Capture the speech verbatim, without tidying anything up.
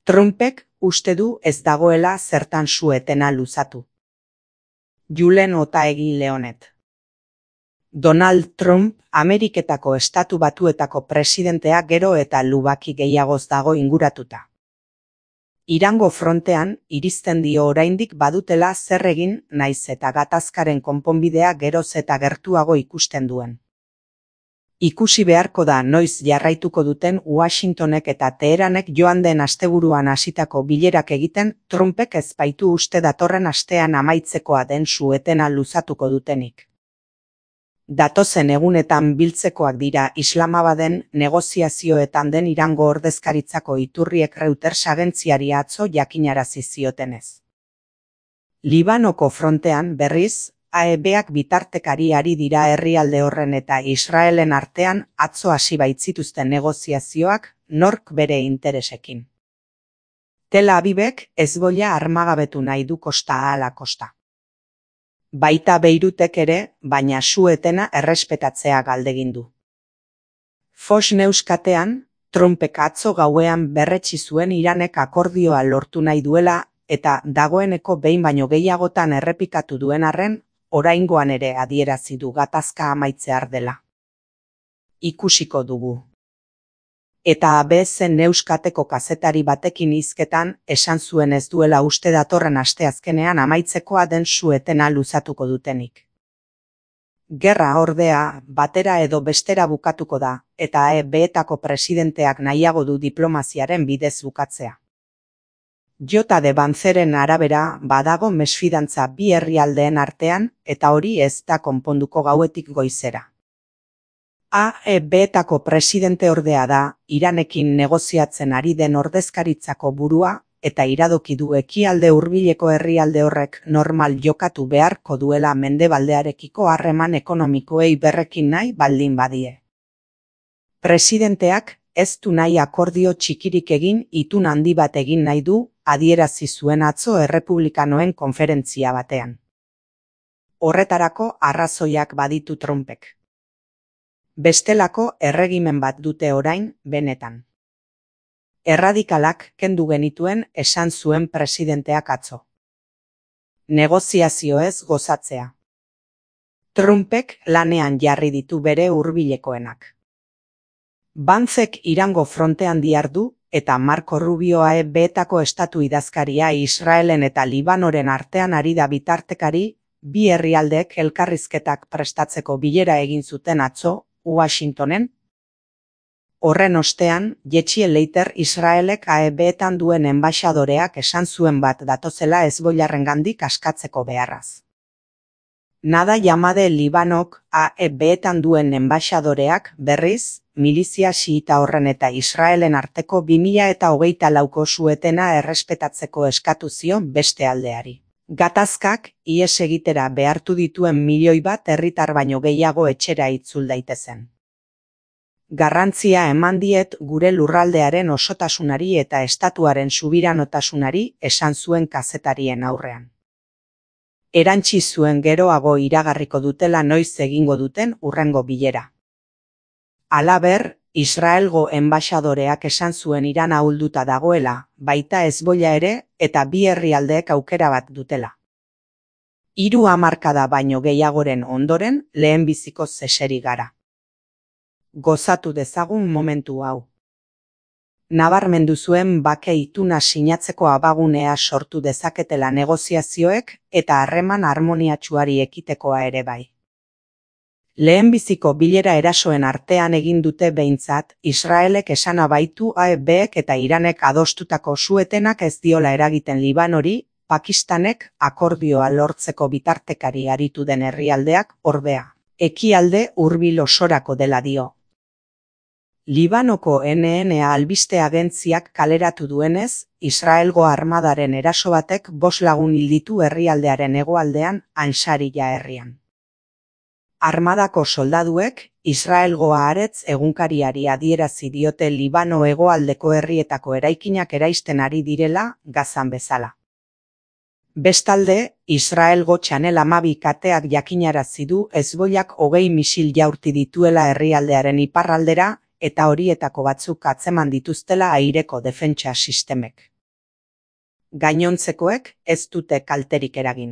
Trumpek uste du ez dagoela zertan su-etena luzatu. Julen Otaegi Leonet. Donald Trump, Ameriketako Estatu Batuetako presidentea gero eta lubaki gehiagoz dago inguratuta. Irango frontean, iristen dio oraindik badutela zer egin naiz eta gatazkaren konponbidea geroz eta gertuago ikusten duen. Ikusi beharko da noiz jarraituko duten Washingtonek eta Teheranek joan den asteburuan hasitako bilerak egiten Trumpek ez baitu uste datorren astean amaitzekoa den su-etena luzatuko dutenik. Datozen egunetan biltzekoak dira Islamabaden negoziazioetan den Irango ordezkaritzako iturriek Reuters agentziari atzo jakinarazi ziotenez. Libanoko frontean berriz, A E Bak bitartekari ari dira herrialde horren eta Israelen artean atzo hasi baitzituzten negoziazioak nork bere interesekin. Tel Avivek Hezbollah armagabetu nahi du kosta ala kosta. Baita Beirutek ere, baina su-etena errespetatzea galdegin du. Fox News katean, Trumpek atzo gauean berretsi zuen Iranek akordioa lortu nahi duela eta dagoeneko behin baino gehiagotan errepikatu duen arren, oraingoan ere adierazi du gatazka amaitzear dela. Ikusiko dugu. Eta A B C News kateko kazetari batekin hizketan esan zuen ez duela uste datorren asteazkenean amaitzekoa den su-etena luzatuko dutenik. Gerra ordea batera edo bestera bukatuko da, eta A E Betako presidenteak nahiago du diplomaziaren bidez bukatzea. Jota de Banzeren arabera badago mesfidantza bi herrialdeen artean eta hori ez da konponduko gauetik goizera. A E Betako presidente ordea da Iranekin negoziatzen ari den ordezkaritzako burua eta iradoki du ekialde hurbileko herrialde horrek normal jokatu beharko duela mendebaldearekiko harreman ekonomikoei berrekin nahi baldin badie. Presidenteak ez du nahi akordio txikirik egin itun handi bat egin nahi du, adierazi zuen atzo errepublikanoen konferentzia batean. Horretarako arrazoiak baditu Trumpek. Bestelako erregimen bat dute orain, benetan. Erradikalak kendu genituen esan zuen presidenteak atzo. Negoziazioez gozatzea. Trumpek lanean jarri ditu bere hurbilekoenak. Banzek Irango frontean dihardu eta Marco Rubio A E Betako estatu idazkaria Israelen eta Libanoren artean ari da bitartekari, bi herrialdeek elkarrizketak prestatzeko bilera egin zuten atzo, Washingtonen. Horren ostean, Jetxie Leiter Israelek A E Betan duen enbaxadoreak esan zuen bat datozela Hezbollarengandik askatzeko beharraz. Nada Yamade Libanok A E Betan duen enbaxadoreak berriz, milizia xiita horren eta Israelen arteko bi mila hogeita lauko su-etena errespetatzeko eskatu zion beste aldeari. Gatazkak ihes egitera behartu dituen milioi bat herritar baino gehiago etxera itzul daitezen. Garrantzia eman diet gure lurraldearen osotasunari eta estatuaren subiranotasunari esan zuen kazetarien aurrean. Erantsi zuen geroago iragarriko dutela noiz egingo duten hurrengo bilera. Halaber, Israelgo enbaxadoreak esan zuen Iran ahulduta dagoela, baita Hezbollah ere eta bi herrialdeek aukera bat dutela. Hiru hamarkada baino gehiagoren ondoren lehenbizikoz eseri gara. Gozatu dezagun momentu hau. Nabarmendu zuen bake ituna sinatzeko abagunea sortu dezaketela negoziazioek eta harreman harmoniatsuari ekitekoa ere bai. Lehenbiziko bilera erasoen artean egin dute behintzat, Israelek esana baitu A E Bek eta Iranek adostutako su-etenak ez diola eragiten Libanori, Pakistanek akordioa lortzeko bitartekari aritu den herrialdeak ordea. Ekialde hurbil osorako dela dio. Libanoko N N A albiste agentziak kaleratu duenez, Israelgo armadaren eraso batek bost lagun hil ditu herrialdearen hegoaldean Ansariya herrian. Armadako soldaduek Israelgo Haaretz egunkariari adierazi diote Libano hegoaldeko herrietako eraikinak eraisten ari direla Gazan bezala. Bestalde, Israelgo Channel hamabi kateak jakinarazi du Hezbollak hogei misil jaurti dituela herrialdearen iparraldera eta horietako batzuk atzeman dituztela aireko defentsa sistemek. Gainontzekoek ez dute kalterik eragin.